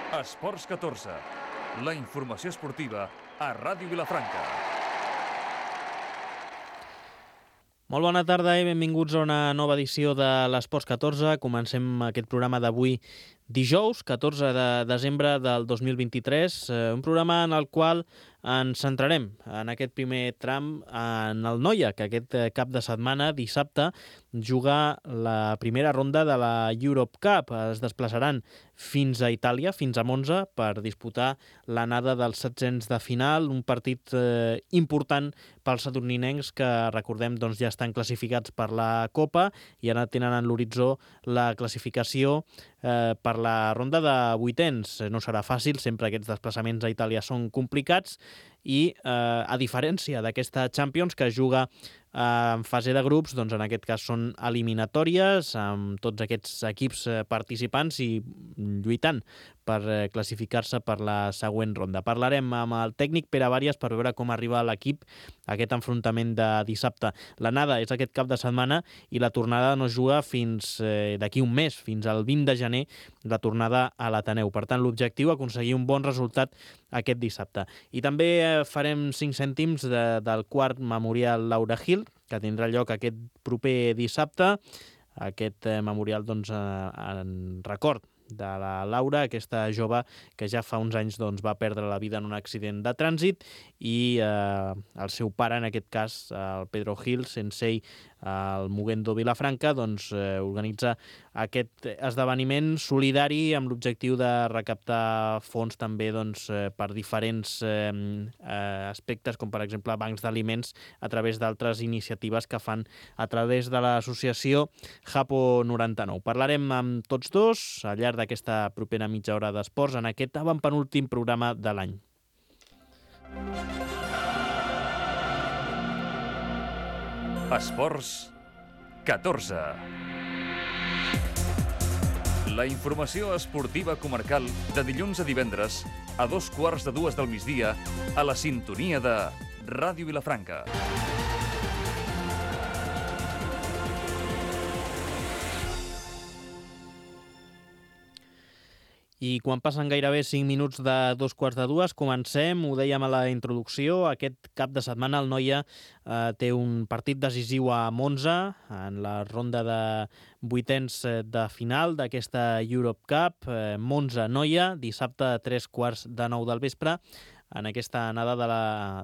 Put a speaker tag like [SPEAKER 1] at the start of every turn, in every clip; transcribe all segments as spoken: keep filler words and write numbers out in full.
[SPEAKER 1] Esports catorze, la informació esportiva a Ràdio Vilafranca.
[SPEAKER 2] Molt bona tarda i benvinguts a una nova edició de l'Esports catorze. Comencem aquest programa d'avui dijous, catorze de desembre del dos mil vint-i-tres, un programa en el qual ens centrarem en aquest primer tram en el Noia, que aquest cap de setmana, dissabte, juga la primera ronda de la Europe Cup. Es desplaçaran fins a Itàlia, fins a Monza, per disputar l'anada dels setzents de final, un partit eh, important pels sadurninencs que, recordem, doncs, ja estan classificats per la Copa i ara tenen en l'horitzó la classificació eh, per la ronda de vuitens. No serà fàcil, sempre aquests desplaçaments a Itàlia són complicats i, eh, a diferència d'aquesta Champions que es juga eh, en fase de grups, doncs en aquest cas són eliminatòries amb tots aquests equips eh, participants i lluitant per eh, classificar-se per la següent ronda. Parlarem amb el tècnic Pere Bàries per veure com arriba l'equip a aquest enfrontament de dissabte. L'anada és aquest cap de setmana i la tornada no es juga fins eh, d'aquí un mes, fins al vint de gener, la tornada a l'Ateneu. Per tant, l'objectiu és aconseguir un bon resultat aquest dissabte. I també eh, farem cinc cèntims de, del quart memorial Laura Gil, que tindrà lloc aquest proper dissabte. Aquest eh, memorial, doncs, eh, en record de la Laura, aquesta jove que ja fa uns anys doncs, va perdre la vida en un accident de trànsit i eh, el seu pare, en aquest cas, el Pedro Gil, sensei al Mugendo Vilafranca, doncs, eh, organitza aquest esdeveniment solidari amb l'objectiu de recaptar fons també doncs, eh, per diferents eh, eh, aspectes, com per exemple bancs d'aliments, a través d'altres iniciatives que fan a través de l'associació Japo noranta-nou. Parlarem amb tots dos al llarg d'aquesta propera mitja hora d'esports en aquest avantpenúltim programa de l'any.
[SPEAKER 1] Esports catorze. La informació esportiva comarcal de dilluns a divendres a dos quarts de dues del migdia a la sintonia de Ràdio Vilafranca.
[SPEAKER 2] I quan passen gairebé cinc minuts de dos quarts de dues, comencem, ho dèiem a la introducció, aquest cap de setmana el Noia eh, té un partit decisiu a Monza, en la ronda de vuitens de final d'aquesta Europe Cup. Eh, Monza-Noia, dissabte a tres quarts de nou del vespre, en aquesta anada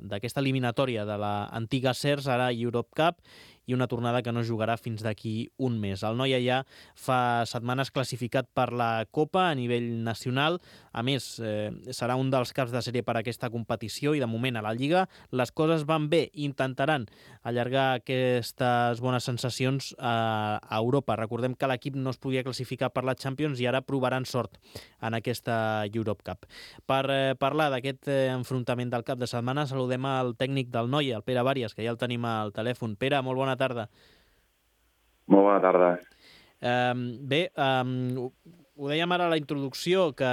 [SPEAKER 2] d'aquesta eliminatòria de l'antiga Sers, ara Europe Cup, i una tornada que no jugarà fins d'aquí un mes. El Noia ja fa setmanes classificat per la Copa a nivell nacional. A més, eh, serà un dels caps de sèrie per a aquesta competició i de moment a la Lliga les coses van bé. Intentaran allargar aquestes bones sensacions a, a Europa. Recordem que l'equip no es podia classificar per la Champions i ara provaran sort en aquesta Europe Cup. Per eh, parlar d'aquest eh, enfrontament del cap de setmana saludem al tècnic del Noia, el Pere Bàries, que ja el tenim al telèfon. Pere, molt bona tarda.
[SPEAKER 3] Molt bona tarda.
[SPEAKER 2] Um, bé, um, ho dèiem ara a la introducció, que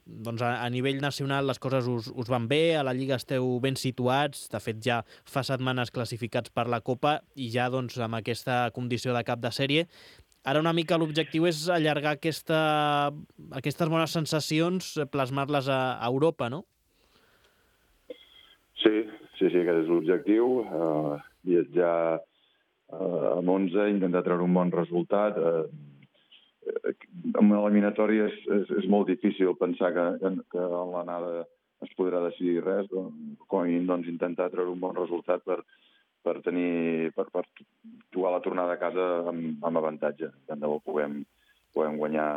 [SPEAKER 2] doncs, a, a nivell nacional les coses us, us van bé, a la Lliga esteu ben situats, de fet ja fa setmanes classificats per la Copa i ja doncs, amb aquesta condició de cap de sèrie. Ara una mica l'objectiu és allargar aquesta, aquestes bones sensacions, plasmar-les a, a Europa, no?
[SPEAKER 3] Sí, sí, sí, aquest és l'objectiu. Uh, viatjar uh, a Monza, intentar treure un bon resultat. Uh, amb l'eliminatòria és, és, és molt difícil pensar que, que en l'anada es podrà decidir res. Doncs, com a mínim, doncs, intentar treure un bon resultat per, per tenir per, per jugar la tornada a casa amb, amb avantatge. Tant de bo puguem, puguem guanyar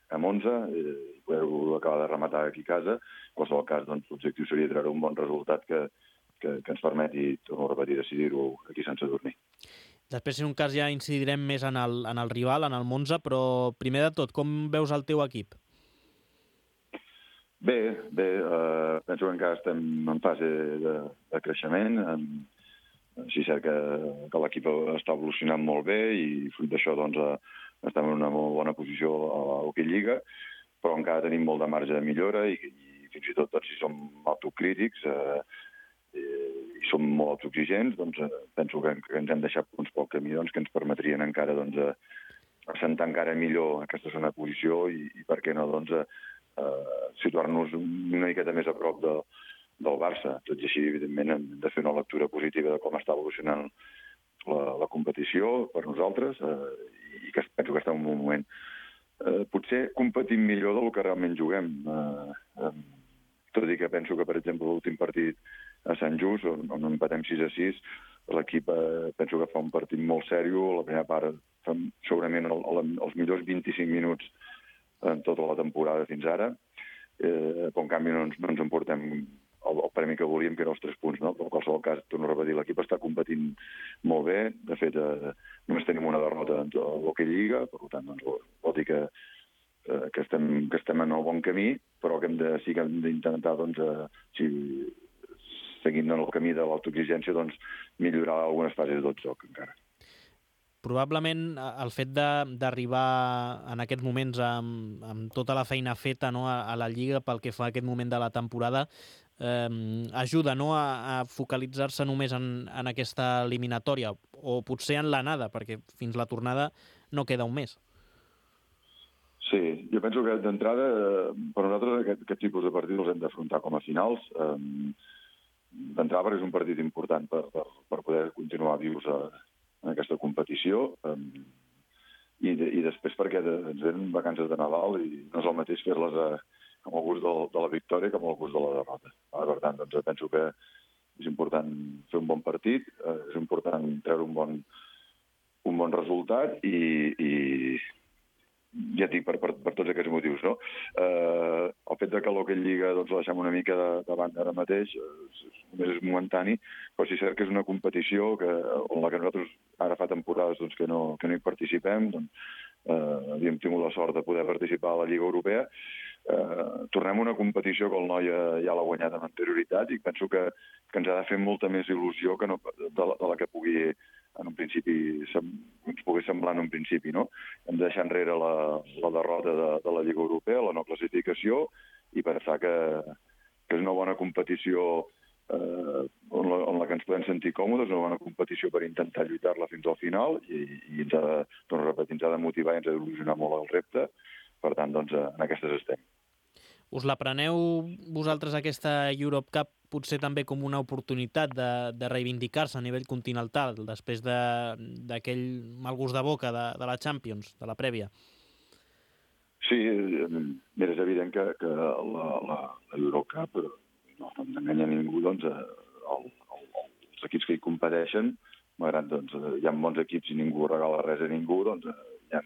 [SPEAKER 3] a Monza i poder-ho acabar de rematar aquí a casa. En qualsevol cas, doncs, l'objectiu seria treure un bon resultat que, que, que ens permeti, torno a repetir, decidir-ho aquí sense dormir.
[SPEAKER 2] Després, si un cas, ja incidirem més en el, en el rival, en el Monza, però primer de tot, com veus el teu equip?
[SPEAKER 3] Bé, bé, eh, penso que encara estem en fase de, de creixement. En, sí, és cert que, que l'equip està evolucionant molt bé i fruit d'això doncs, eh, estem en una molt bona posició a l'Hockey Lliga, però encara tenim molt de marge de millora i, i fins i tot doncs, si som autocrítics eh, i som molt autoexigents, doncs eh, penso que, que ens hem deixat uns pocs camí doncs, que ens permetrien encara doncs, eh, assentar encara millor aquesta segona posició i, i per què no, doncs, eh, eh, situar-nos una miqueta més a prop de, del Barça. Tot i així, evidentment, hem de fer una lectura positiva de com està evolucionant la, la competició per nosaltres eh, i que penso que està en un moment eh, potser competint millor del que realment juguem. Eh, eh, tot i que penso que, per exemple, l'últim partit a Sant Just, on, on empatem sis a sis, l'equip eh, penso que fa un partit molt sèrio. La primera part fa segurament el, el, els millors vint-i-cinc minuts en tota la temporada fins ara, eh, però en canvi no ens, no ens emportem el, el premi que volíem, que eren els tres punts, no? Però en qualsevol cas, torno a repetir, l'equip està competint molt bé. De fet, eh, només tenim una derrota en l'Hockey Lliga, per tant, doncs, vol dir que, eh, que, estem, que estem en el bon camí, però que hem de, sí que hem d'intentar, doncs, eh, si, seguint en el camí de l'autoexigència, doncs, millorar algunes fases del joc encara.
[SPEAKER 2] Probablement el fet d'arribar en aquests moments amb, amb tota la feina feta, no, a, a la Lliga pel que fa a aquest moment de la temporada eh, ajuda, no, a, a focalitzar-se només en, en aquesta eliminatòria o potser en l'anada, perquè fins la tornada no queda un mes.
[SPEAKER 3] Sí, jo penso que d'entrada per nosaltres aquest, aquest tipus de partits els hem d'afrontar com a finals. Eh, d'entrada perquè és un partit important per, per, per poder continuar vius a, en aquesta competició, um, i, de, i després perquè de, ens venen vacances de Nadal i no és el mateix fer-les a, amb el gust de, de la victòria que amb el gust de la derrota. Ah, per tant, doncs, penso que és important fer un bon partit, eh, és important treure un bon, un bon resultat i, i ja et dic, per, per, per tots aquests motius, no? Eh, el fet de que l'Hockey Lliga doncs, la deixem una mica de, de banda ara mateix, eh, només és momentani, però sí cert que és una competició que, on la que nosaltres ara fa temporades doncs, que, no, que no hi participem, doncs, eh, havíem tingut la sort de poder participar a la Lliga Europea. Eh, tornem a una competició que el noi ja l'ha guanyat amb anterioritat i penso que, que ens ha de fer molta més il·lusió que no, de, la, de la que pugui en un principi, ens pogués semblar en un principi, no? Hem de deixar enrere la, la derrota de, de la Lliga Europea, la no classificació, i pensar que, que és una bona competició eh, on, la, on la que ens podem sentir còmodes, una bona competició per intentar lluitar-la fins al final, i, i ens ha de, doncs, repetir, ens ha de motivar i ens ha d'il·lusionar molt el repte. Per tant, doncs, en aquestes estem.
[SPEAKER 2] Us la preneu vosaltres aquesta Europe Cup potser també com una oportunitat de, de reivindicar-se a nivell continental després d'aquell mal gust de boca de, de la Champions, de la prèvia?
[SPEAKER 3] Sí, mira, és evident que, que la, la, la Europe Cup no, no enganya ningú, doncs, el, el, els equips que hi competeixen, malgrat doncs, hi ha bons equips i ningú regala res a ningú, doncs hi ha,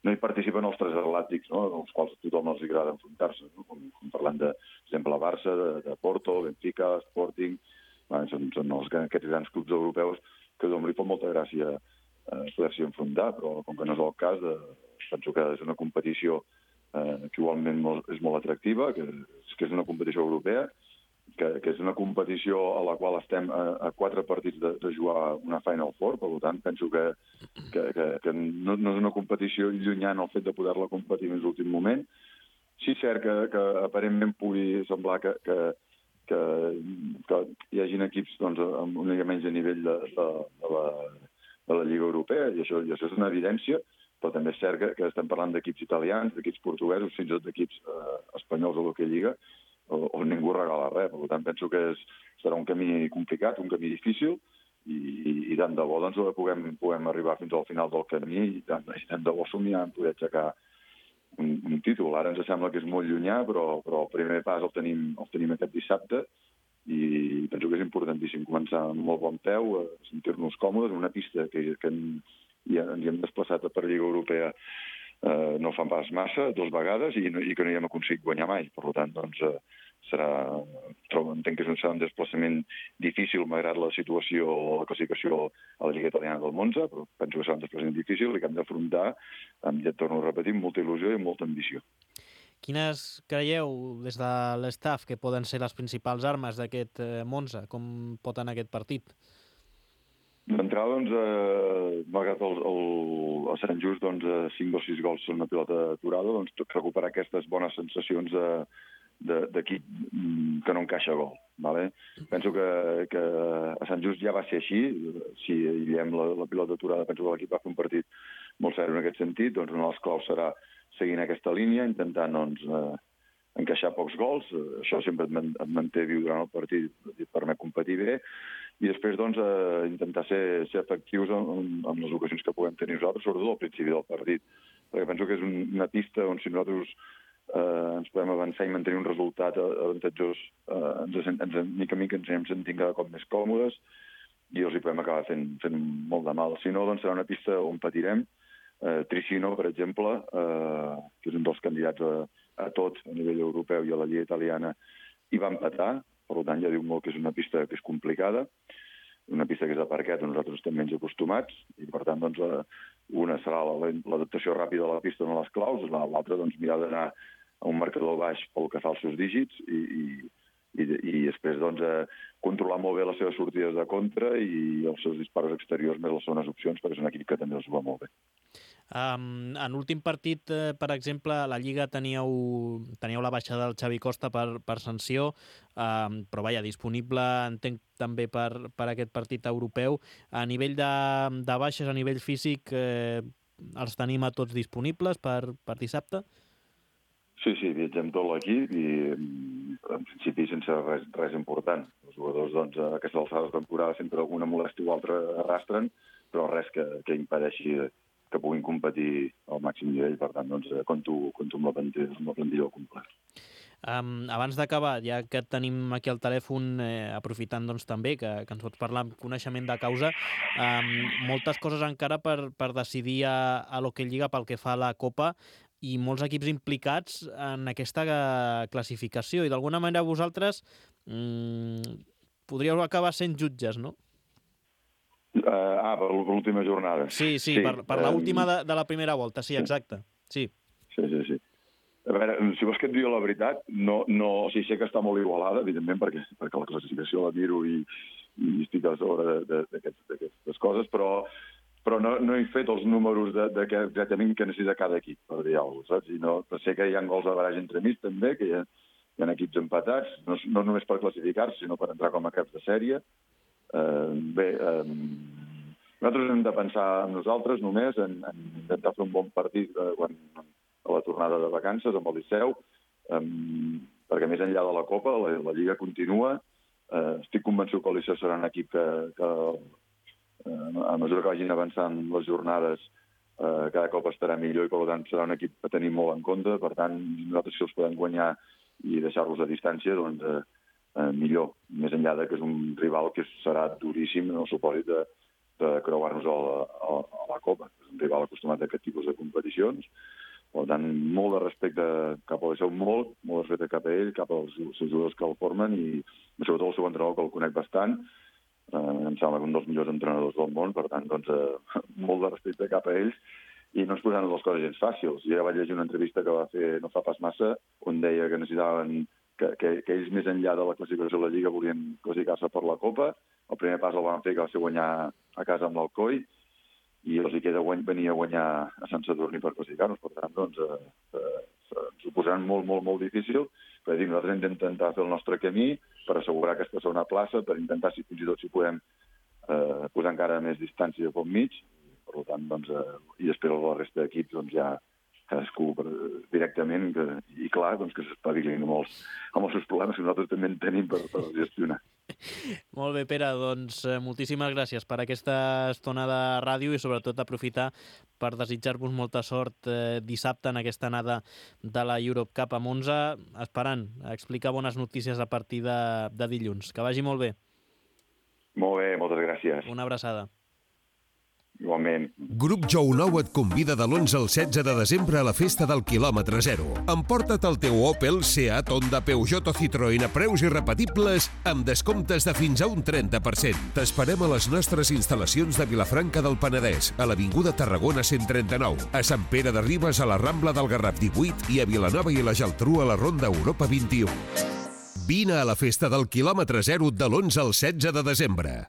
[SPEAKER 3] no hi participen els tres atlàtics, no?, dels quals a tothom els agrada enfrontar-se, no? com, com parlant de, per exemple, Barça, de, de Porto, Benfica, Sporting, bueno, són, són els, aquests grans clubs europeus que a tothom li fa molta gràcia eh, poder-s'hi enfrontar, però com que no és el cas, eh, penso que és una competició eh, que igualment molt, és molt atractiva, que, que és una competició europea, que, que és una competició a la qual estem a, a quatre partits de, de jugar una Final Four, per tant, penso que, que, que, que no, no és una competició llunyana el fet de poder-la competir en l'últim moment. Sí, cert que, que aparentment pugui semblar que, que, que, que hi hagin equips doncs, amb una mica menys de nivell de, de, de, la, de la Lliga Europea, i això, i això és una evidència, però també és cert que, que estem parlant d'equips italians, d'equips portuguesos, fins i tot d'equips eh, espanyols a l'Hockey Lliga, on ningú regala res. Per tant, penso que és, serà un camí complicat, un camí difícil, i, i, i tant de bo doncs, puguem, puguem arribar fins al final del camí i tant, i tant de bo somiar en poder aixecar un, un títol. Ara ens sembla que és molt llunyà, però, però el primer pas el tenim, el tenim aquest dissabte i penso que és importantíssim començar amb molt bon peu, a sentir-nos còmodes en una pista que, que ja ens hi hem desplaçat per Lliga Europea Uh, no fan pas massa, dues vegades, i, no, i que no hi hem aconseguit guanyar mai. Per tant, doncs, uh, serà, trobo, entenc que serà un desplaçament difícil, malgrat la situació o la classificació a la Lliga Italiana del Monza, però penso que serà un desplaçament difícil i que hem d'afrontar, amb, ja et torno a repetir, amb molta il·lusió i amb molta ambició.
[SPEAKER 2] Quines creieu, des de l'estaf, que poden ser les principals armes d'aquest eh, Monza? Com pot anar aquest partit?
[SPEAKER 3] D'entrada, doncs, eh, malgrat el, el, a Sant Just, doncs, cinc o sis gols són una pilota aturada, doncs, recuperar aquestes bones sensacions d'equip que no encaixa gol. Vale? Penso que, que a Sant Just ja va ser així, si aïllem la, la pilota aturada, penso que l'equip va fer un partit molt seri en aquest sentit, doncs una de les claus serà seguint aquesta línia, intentant doncs, eh, encaixar pocs gols, això sempre et, man, et manté viu durant el partit, et permet competir bé, i després doncs, eh, intentar ser, ser efectius en, en les ocasions que puguem tenir nosaltres, sobretot al principi del partit, perquè penso que és un, una pista on si nosaltres eh, ens podem avançar i mantenir un resultat avantatjós, eh, ens, ens, mica a mica ens anem sentint cada cop més còmodes i els hi podem acabar fent, fent molt de mal. Si no, doncs serà una pista on patirem. Eh, Tricino, per exemple, eh, que és un dels candidats a, a tot a nivell europeu i a la Lliga italiana, i va empatar, per tant ja diu molt que és una pista que és complicada, una pista que és de parquet on nosaltres estem menys acostumats, i per tant doncs, una serà l'adaptació ràpida de la pista en les claus, l'altra doncs, mirar d'anar a un marcador baix pel que fa als seus dígits i, i, i, i després doncs, controlar molt bé les seves sortides de contra i els seus disparos exteriors més les segones opcions, perquè és un equip que també els va molt bé.
[SPEAKER 2] Um, en l'últim partit, eh, per exemple, a la Lliga teníeu, teníeu la baixada del Xavi Costa per, per sanció, um, però vaja, disponible, entenc, també per, per aquest partit europeu. A nivell de, de baixes, a nivell físic, eh, els tenim a tots disponibles per, per dissabte?
[SPEAKER 3] Sí, sí, viatgem tot l'equip i en principi sense res, res important. Els jugadors doncs, a aquesta alçada de temporada sempre alguna molèstia o altra arrastren, però res que, que impedeixi que puguin competir al màxim nivell. Per tant, doncs, compto, compto amb la plantilla, amb la plantilla al complet.
[SPEAKER 2] Um, abans d'acabar, ja que tenim aquí al telèfon, eh, aprofitant doncs, també que, que ens pots parlar amb coneixement de causa, um, moltes coses encara per, per decidir a, a l'Hockey Lliga pel que fa a la Copa, i molts equips implicats en aquesta classificació, i d'alguna manera vosaltres mmm, podríeu acabar sent jutges, no?
[SPEAKER 3] Uh, ah, per l'última jornada.
[SPEAKER 2] Sí, sí, sí, per, per uh, l'última de, de la primera volta, sí, exacte. Sí,
[SPEAKER 3] sí, sí. sí. A veure, si vols que et digui la veritat, no, no, o sigui, sé que està molt igualada, evidentment, perquè, perquè la classificació la miro i, i estic a sobre d'aquestes coses, però però no, no he fet els números de, de que exactament que necessita cada equip, per dir alguna cosa, saps? I no, sé que hi ha gols de barrage entre mig, també, que hi ha, hi ha equips empatats, no, no només per classificar-se, sinó per entrar com a caps de sèrie. Eh, bé, eh, nosaltres hem de pensar en nosaltres només, en, en intentar fer un bon partit eh, quan, a la tornada de vacances amb el Liceu, eh, perquè més enllà de la Copa, la, la Lliga continua. Eh, estic convençut que el Liceu serà un equip que... que a mesura que vagin avançant les jornades eh, cada cop estarà millor i per tant serà un equip a tenir molt en compte. Per tant, nosaltres si els podem guanyar i deixar-los a distància, doncs eh, eh, millor, més enllà de que és un rival que serà duríssim en el supòsit de, de creuar-nos a, a, a la Copa. És un rival acostumat a aquest tipus de competicions. Per tant, molt de respecte cap al seu molt, molt de respecte cap a ell, cap als seus jugadors que el formen i sobretot el seu entrenador, que el conec bastant. Uh, em sembla que un dels millors entrenadors del món, per tant, doncs, uh, molt de respecte cap a ells i no ens posaran les coses gens fàcils. Jo ja vaig llegir una entrevista que va fer no fa pas massa on deia que necessitaven que, que, que ells més enllà de la classificació de la Lliga volien classificar-se per la Copa. El primer pas el van fer, que va ser guanyar a casa amb l'Alcoi, i els hi queda guany, venir a guanyar a Sant Sadurní per classificar-nos. Per tant, doncs, uh, uh, ens ho posaran molt, molt, molt difícil. Per dir, nosaltres hem d'intentar fer el nostre camí per assegurar aquesta segona plaça, per intentar, si fins i tot si podem, eh, posar encara més distància pel mig. Per tant, doncs, eh, i després la resta d'equips, doncs, ja cadascú per, directament, que, i clar, doncs, que s'espavilin amb, els, amb els seus problemes que nosaltres també en tenim per, per gestionar.
[SPEAKER 2] Molt bé, Pere, doncs moltíssimes gràcies per aquesta estona de ràdio i sobretot aprofitar per desitjar-vos molta sort eh, dissabte en aquesta anada de la Europe Cup a Monza, esperant explicar bones notícies a partir de, de dilluns. Que vagi molt bé.
[SPEAKER 3] Molt bé, moltes gràcies.
[SPEAKER 2] Una abraçada.
[SPEAKER 3] Igualment.
[SPEAKER 4] Grup Jou Nou et convida de l'onze al setze de desembre a la festa del quilòmetre zero. Emporta't el teu Opel, Seat, Honda, Peugeot o Citroën a preus irrepetibles amb descomptes de fins a un trenta per cent. T'esperem a les nostres instal·lacions de Vilafranca del Penedès, a l'Avinguda Tarragona cent trenta-nou, a Sant Pere de Ribes a la Rambla del Garraf divuit i a Vilanova i la Geltrú a la Ronda Europa vint-i-u. Vine a la festa del quilòmetre zero de l'onze al setze de desembre.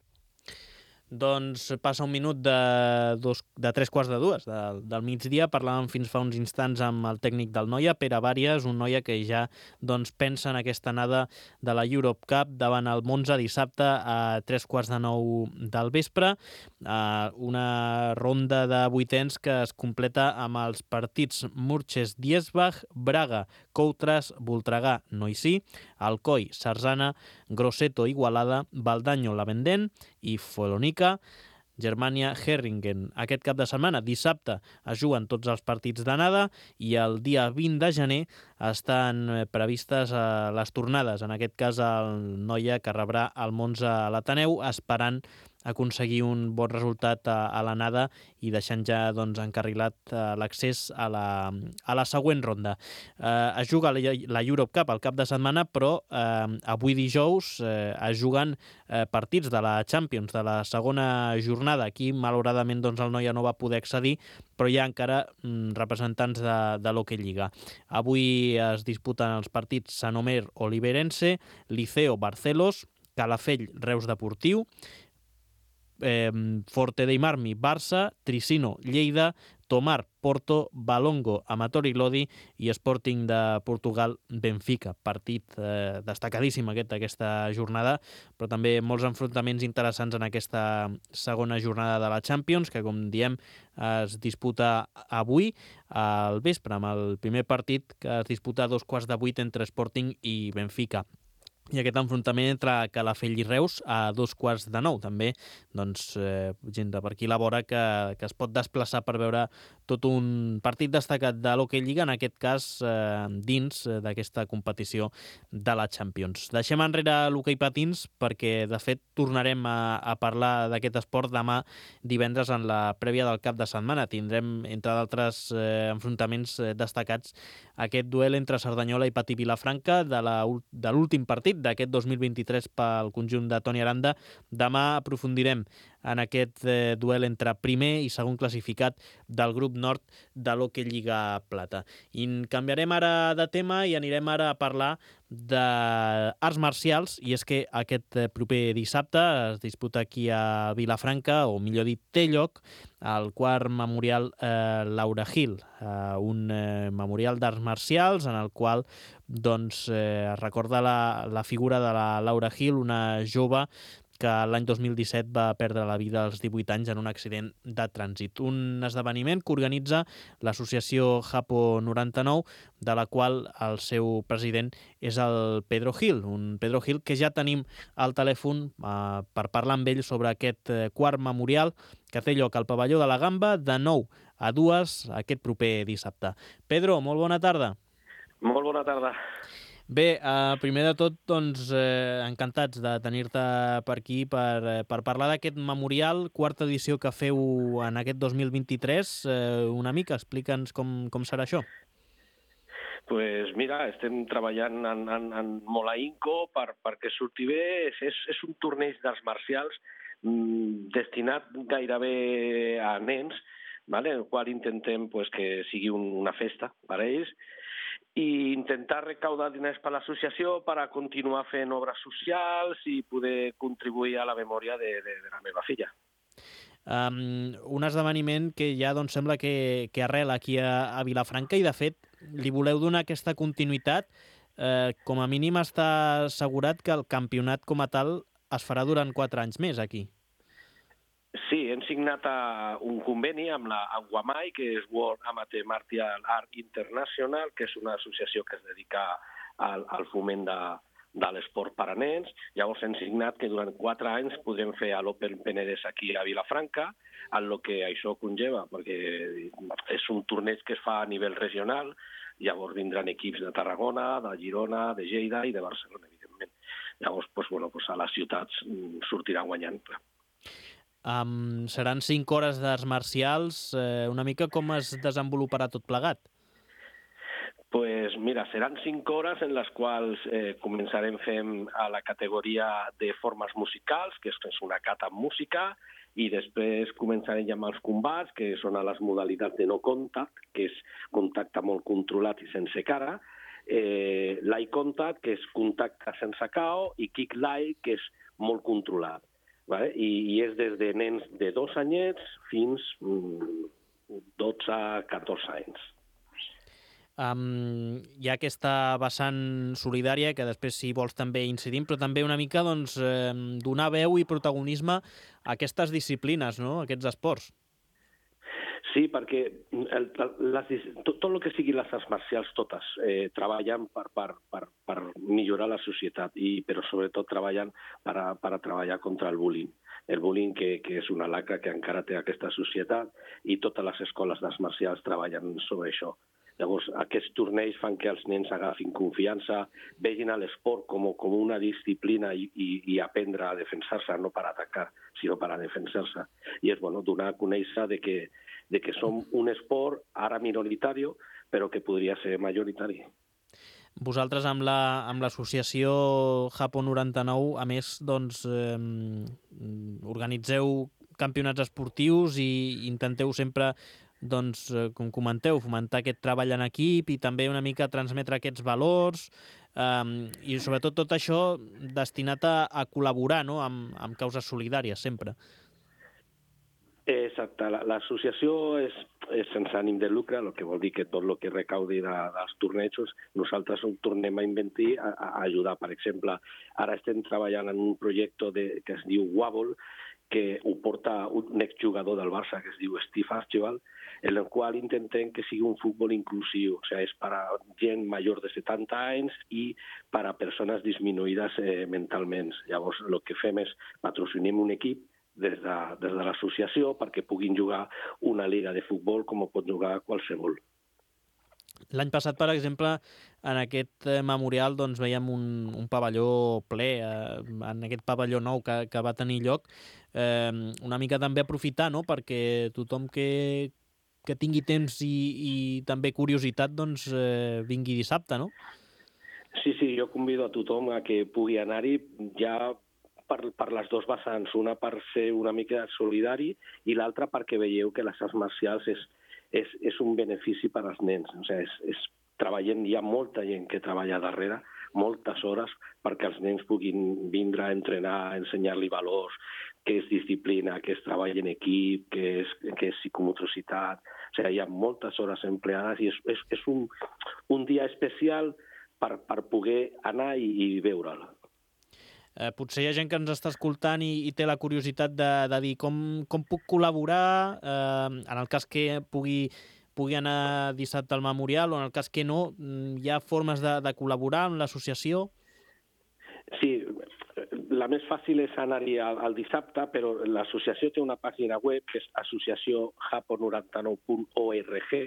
[SPEAKER 2] Doncs passa un minut de, dos, de tres quarts de dues de, del migdia. Parlàvem fins fa uns instants amb el tècnic del Noia, Pere Vàries, un Noia que ja doncs, pensa en aquesta anada de la Europe Cup davant el Monza dissabte a tres quarts de nou del vespre. Uh, una ronda de vuitens que es completa amb els partits Murches-Diesbach, Braga, Coutras, Voltregà, Noisí, Alcoi, Sarzana, Grosseto, Igualada, Baldanyo, Lavendent i Follonica, Germania, Herringen. Aquest cap de setmana, dissabte, es juguen tots els partits d'anada i el dia vint de gener estan previstes les tornades. En aquest cas, el Noia que rebrà el Monza a l'Ateneu, esperant aconseguir un bon resultat a, a l'anada i deixant ja doncs, encarrilat uh, l'accés a la, a la següent ronda. Uh, es juga la, la Europe Cup al cap de setmana, però uh, avui dijous uh, es juguen uh, partits de la Champions, de la segona jornada. Aquí, malauradament, doncs, el Noia no va poder accedir, però hi ha encara mm, representants de, de l'Hockey Lliga. Avui es disputen els partits Sanomer-Oliverense, Liceo Barcelos, Calafell Reus Deportiu, Eh, Forte dei Marmi, Barça, Tricino, Lleida, Tomar, Porto, Balongo, Amatori Lodi i Sporting de Portugal, Benfica. Partit eh, destacadíssim aquest d'aquesta jornada, però també molts enfrontaments interessants en aquesta segona jornada de la Champions, que, com diem, es disputa avui al vespre, amb el primer partit que es disputa a dos quarts de vuit entre Sporting i Benfica. I aquest enfrontament entre Calafell i Reus a dos quarts de nou. També doncs, eh, gent de per aquí la vora que, que es pot desplaçar per veure tot un partit destacat de l'Hockey Lliga, en aquest cas eh, dins d'aquesta competició de la Champions. Deixem enrere l'hoquei patins perquè, de fet, tornarem a, a parlar d'aquest esport demà divendres en la prèvia del cap de setmana. Tindrem, entre d'altres eh, enfrontaments eh, destacats, aquest duel entre Cerdanyola i Patí Vilafranca de, la, de l'últim partit d'aquest dos mil vint-i-tres pel conjunt de Toni Aranda. Demà aprofundirem en aquest eh, duel entre primer i segon classificat del grup nord de l'Hockey Lliga Plata. I canviarem ara de tema i anirem ara a parlar d'arts marcials, i és que aquest proper dissabte es disputa aquí a Vilafranca, o millor dit té lloc, el quart memorial eh, Laura Hill, eh, un eh, memorial d'arts marcials en el qual doncs, eh, es recorda la, la figura de la Laura Hill, una jove que l'any dos mil disset va perdre la vida als divuit anys en un accident de trànsit. Un esdeveniment que organitza l'associació Japo noranta-nou, de la qual el seu president és el Pedro Hill, un Pedro Hill que ja tenim al telèfon eh, per parlar amb ell sobre aquest eh, quart memorial que té lloc al pavelló de la Gamba de nou a dues aquest proper dissabte. Pedro, molt bona tarda.
[SPEAKER 5] Molt bona tarda.
[SPEAKER 2] Bé, eh, primer de tot, doncs, eh, encantats de tenir-te per aquí per, per parlar d'aquest memorial, quarta edició que feu en aquest dos mil vint-i-tres. Eh, una mica, explica'ns com, com serà això.
[SPEAKER 5] Pues mira, estem treballant en, en, en molt ahínco per, perquè surti bé. És, és, és un torneig d'arts marcials mmm, destinat gairebé a nens, vale? El qual intentem pues, que sigui un, una festa per a ells, i intentar recaudar diners per l'associació per a continuar fent obres socials i poder contribuir a la memòria de, de, de la meva filla.
[SPEAKER 2] Um, un esdeveniment que ja doncs, sembla que, que arrela aquí a, a Vilafranca i, de fet, li voleu donar aquesta continuïtat. Eh, com a mínim està assegurat que el campionat com a tal es farà durant quatre anys més aquí.
[SPEAKER 5] Sí, hem signat un conveni amb la Aguamai, que és World Amateur Martial Art International, que és una associació que es dedica al, al foment de, de l'esport per a nens. Llavors hem signat que durant quatre anys podrem fer l'Open Penedès aquí a Vilafranca, en el que això conlleva, perquè és un torneig que es fa a nivell regional. Llavors vindran equips de Tarragona, de Girona, de Lleida i de Barcelona, evidentment. Llavors, pues, bueno, pues a les ciutats sortiran guanyant, clar.
[SPEAKER 2] Um, seran cinc hores d'arts marcials. Eh, una mica com es desenvoluparà tot plegat?
[SPEAKER 5] Pues mira, seran cinc hores en les quals eh, començarem fent a la categoria de formes musicals, que és una cata amb música, i després començarem ja amb els combats, que són a les modalitats de no contact, que és contacte molt controlat i sense cara, eh, l'eye contact, que és contacte sense K O, i kick lie, que és molt controlat. vale? I, i és des de nens de dos anyets fins dotze a catorze anys.
[SPEAKER 2] Um, hi ha aquesta vessant solidària que després, si vols, també incidim, però també una mica doncs, eh, donar veu i protagonisme a aquestes disciplines, no? A aquests esports.
[SPEAKER 5] Sí, perquè el, les, tot, tot el que sigui les arts marcials, totes, eh, treballen per, per, per, per millorar la societat, i, però sobretot treballen per a, per a treballar contra el bullying. El bullying, que, que és una lacra que encara té aquesta societat, i totes les escoles d'arts marcials treballen sobre això. Llavors, aquests torneigs fan que els nens agafin confiança, vegin l'esport com, com una disciplina i, i, i aprendre a defensar-se, no per atacar, sinó per a defensar-se. I és bueno, donar a conèixer de que, de que som un esport ara minoritari, però que podria ser majoritari.
[SPEAKER 2] Vosaltres amb la, amb l'associació Japó noranta-nou, a més, doncs, eh, organitzeu campionats esportius i intenteu sempre, doncs, com comenteu, fomentar aquest treball en equip i també una mica transmetre aquests valors eh, i sobretot tot això destinat a, a col·laborar, no?, amb, amb causes solidàries sempre.
[SPEAKER 5] Exacte. L'associació és, és sense ànim de lucre, el que vol dir que tot el que recaudi de, dels tornejos nosaltres ho tornem a inventar, a, a ajudar. Per exemple, ara estem treballant en un projecte de, que es diu Wobble, que ho porta un exjugador del Barça que es diu Steve Archibald, en el qual intentem que sigui un futbol inclusiu, o sigui, és per a gent major de setanta anys i per a persones disminuïdes eh, mentalment. Llavors, el que fem és patrocinem un equip des de, des de l'associació perquè puguin jugar una liga de futbol com ho pot jugar qualsevol.
[SPEAKER 2] L'any passat, per exemple, en aquest memorial doncs, veiem un, un pavelló ple, eh, en aquest pavelló nou que, que va tenir lloc, eh, una mica també aprofitar, no?, perquè tothom que, que tingui temps i, i també curiositat doncs, eh, vingui dissabte, no?
[SPEAKER 5] Sí, sí, jo convido a tothom a que pugui anar-hi ja per, per les dues vessants, una per ser una mica solidari i l'altra perquè veieu que les arts marcials és És, és un benefici per als nens. O sigui, és, és, treballem, hi ha molta gent que treballa darrere, moltes hores, perquè els nens puguin vindre a entrenar, a ensenyar-li valors, què és disciplina, què és treball en equip, què és, què és psicomotricitat. O sigui, hi ha moltes hores empleades i és, és, és un, un dia especial per, per poder anar i, i veure'l.
[SPEAKER 2] Eh, potser hi ha gent que ens està escoltant i, i té la curiositat de, de dir com, com puc col·laborar eh, en el cas que pugui, pugui anar dissabte al memorial o en el cas que no, hi ha formes de, de col·laborar amb l'associació?
[SPEAKER 5] Sí, la més fàcil és anar-hi al, al dissabte, però l'associació té una pàgina web que és associació japo noranta nou punt org,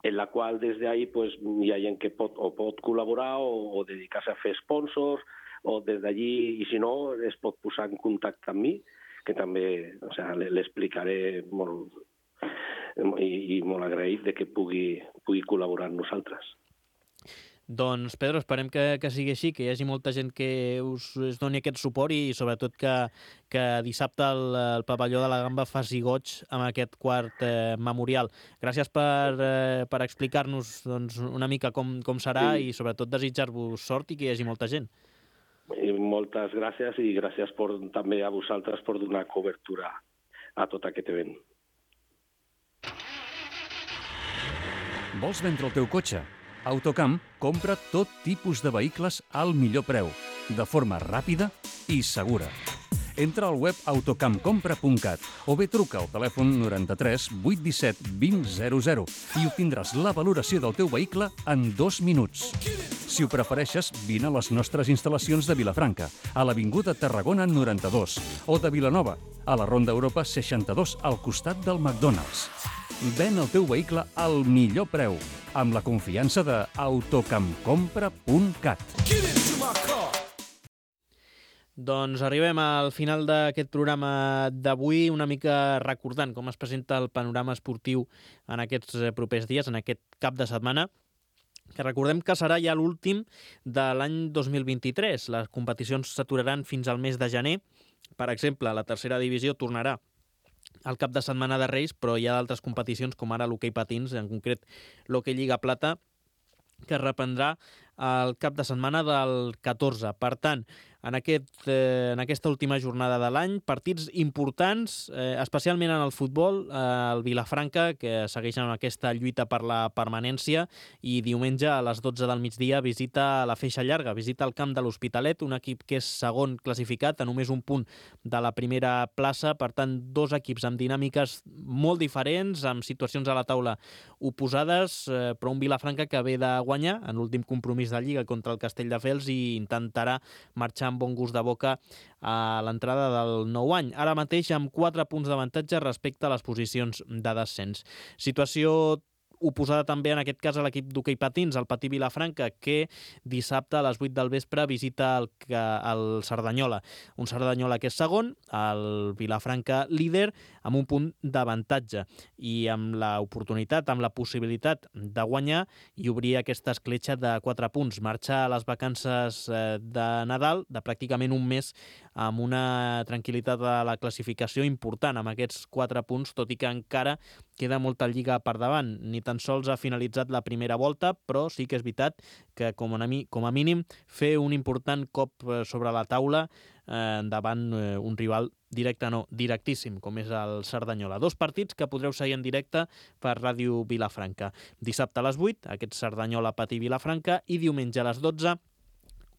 [SPEAKER 5] en la qual des d'ahí pues, hi ha gent que pot, o pot col·laborar o, o dedicar-se a fer sponsors, o des d'allí, i si no, es pot posar en contacte amb mi, que també o sigui, l'explicaré molt, i, i molt agraït de que pugui, pugui col·laborar amb nosaltres.
[SPEAKER 2] Doncs, Pedro, esperem que, que sigui així, que hi hagi molta gent que us, us doni aquest suport i sobretot que, que dissabte el, el pavelló de la Gamba faci goig amb aquest quart eh, memorial. Gràcies per, eh, per explicar-nos doncs, una mica com, com serà sí. I sobretot desitjar-vos sort i que hi hagi molta gent.
[SPEAKER 5] I moltes gràcies i gràcies per, també a vosaltres per donar cobertura a tot aquest event.
[SPEAKER 1] Vols vendre el teu cotxe? Autocamp compra tot tipus de vehicles al millor preu, de forma ràpida i segura. Entra al web autocampcompra punt cat o bé truca al telèfon noranta-tres vuit disset vint zero zero i obtindràs la valoració del teu vehicle en dos minuts. Si ho prefereixes, vine a les nostres instal·lacions de Vilafranca, a l'Avinguda Tarragona noranta-dos, o de Vilanova, a la Ronda Europa seixanta-dos, al costat del McDonald's. Ven el teu vehicle al millor preu, amb la confiança de autocampcompra punt cat.
[SPEAKER 2] Doncs arribem al final d'aquest programa d'avui, una mica recordant com es presenta el panorama esportiu en aquests propers dies, en aquest cap de setmana, que recordem que serà ja l'últim de l'any dos mil vint-i-tres. Les competicions s'aturaran fins al mes de gener. Per exemple, la tercera divisió tornarà al cap de setmana de Reis, però hi ha d'altres competicions, com ara l'hoquei patins, en concret l'hoquei Lliga Plata, que es reprendrà el cap de setmana del catorze. Per tant, en, aquest, eh, en aquesta última jornada de l'any. Partits importants, eh, especialment en el futbol, eh, el Vilafranca, que segueix en aquesta lluita per la permanència, i diumenge a les dotze del migdia visita la Feixa Llarga, visita el camp de l'Hospitalet, un equip que és segon classificat a només un punt de la primera plaça. Per tant, dos equips amb dinàmiques molt diferents, amb situacions a la taula oposades, eh, però un Vilafranca que ve de guanyar en l'últim compromís de Lliga contra el Castelldefels i intentarà marxar amb bon gust de boca a l'entrada del nou any. Ara mateix amb quatre punts d'avantatge respecte a les posicions de descens. Situació oposada també en aquest cas a l'equip d'hoquei patins, el Patí Vilafranca, que dissabte a les vuit del vespre visita el, el Cerdanyola. Un Cerdanyola que és segon, el Vilafranca líder, amb un punt d'avantatge i amb l'oportunitat, amb la possibilitat de guanyar i obrir aquesta escletxa de quatre punts. Marxar a les vacances de Nadal de pràcticament un mes amb una tranquil·litat a la classificació important amb aquests quatre punts, tot i que encara queda molta lliga per davant. Ni tan sols ha finalitzat la primera volta, però sí que és veritat que com a, mi, com a mínim fer un important cop sobre la taula eh, davant eh, un rival directe, no, directíssim, com és el Cerdanyola. Dos partits que podreu seguir en directe per Ràdio Vilafranca. Dissabte a les vuit, aquest Cerdanyola Patí Vilafranca, i diumenge a les dotze,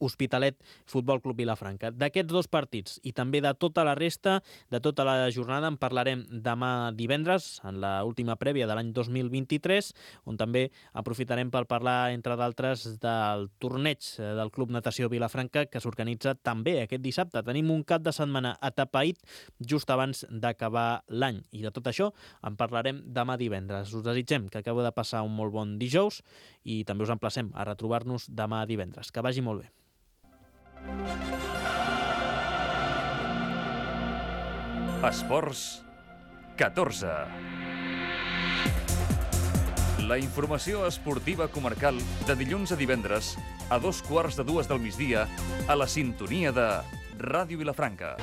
[SPEAKER 2] Hospitalet Futbol Club Vilafranca. D'aquests dos partits i també de tota la resta, de tota la jornada, en parlarem demà divendres, en l'última prèvia de l'any dos mil vint-i-tres, on també aprofitarem per parlar, entre d'altres, del torneig del Club Natació Vilafranca, que s'organitza també aquest dissabte. Tenim un cap de setmana atapeït just abans d'acabar l'any. I de tot això en parlarem demà divendres. Us desitgem que acabeu de passar un molt bon dijous i també us emplacem a retrobar-nos demà divendres. Que vagi molt bé.
[SPEAKER 1] Esports catorze. La informació esportiva comarcal de dilluns a divendres a dos quarts de dues del migdia a la sintonia de Ràdio Vilafranca.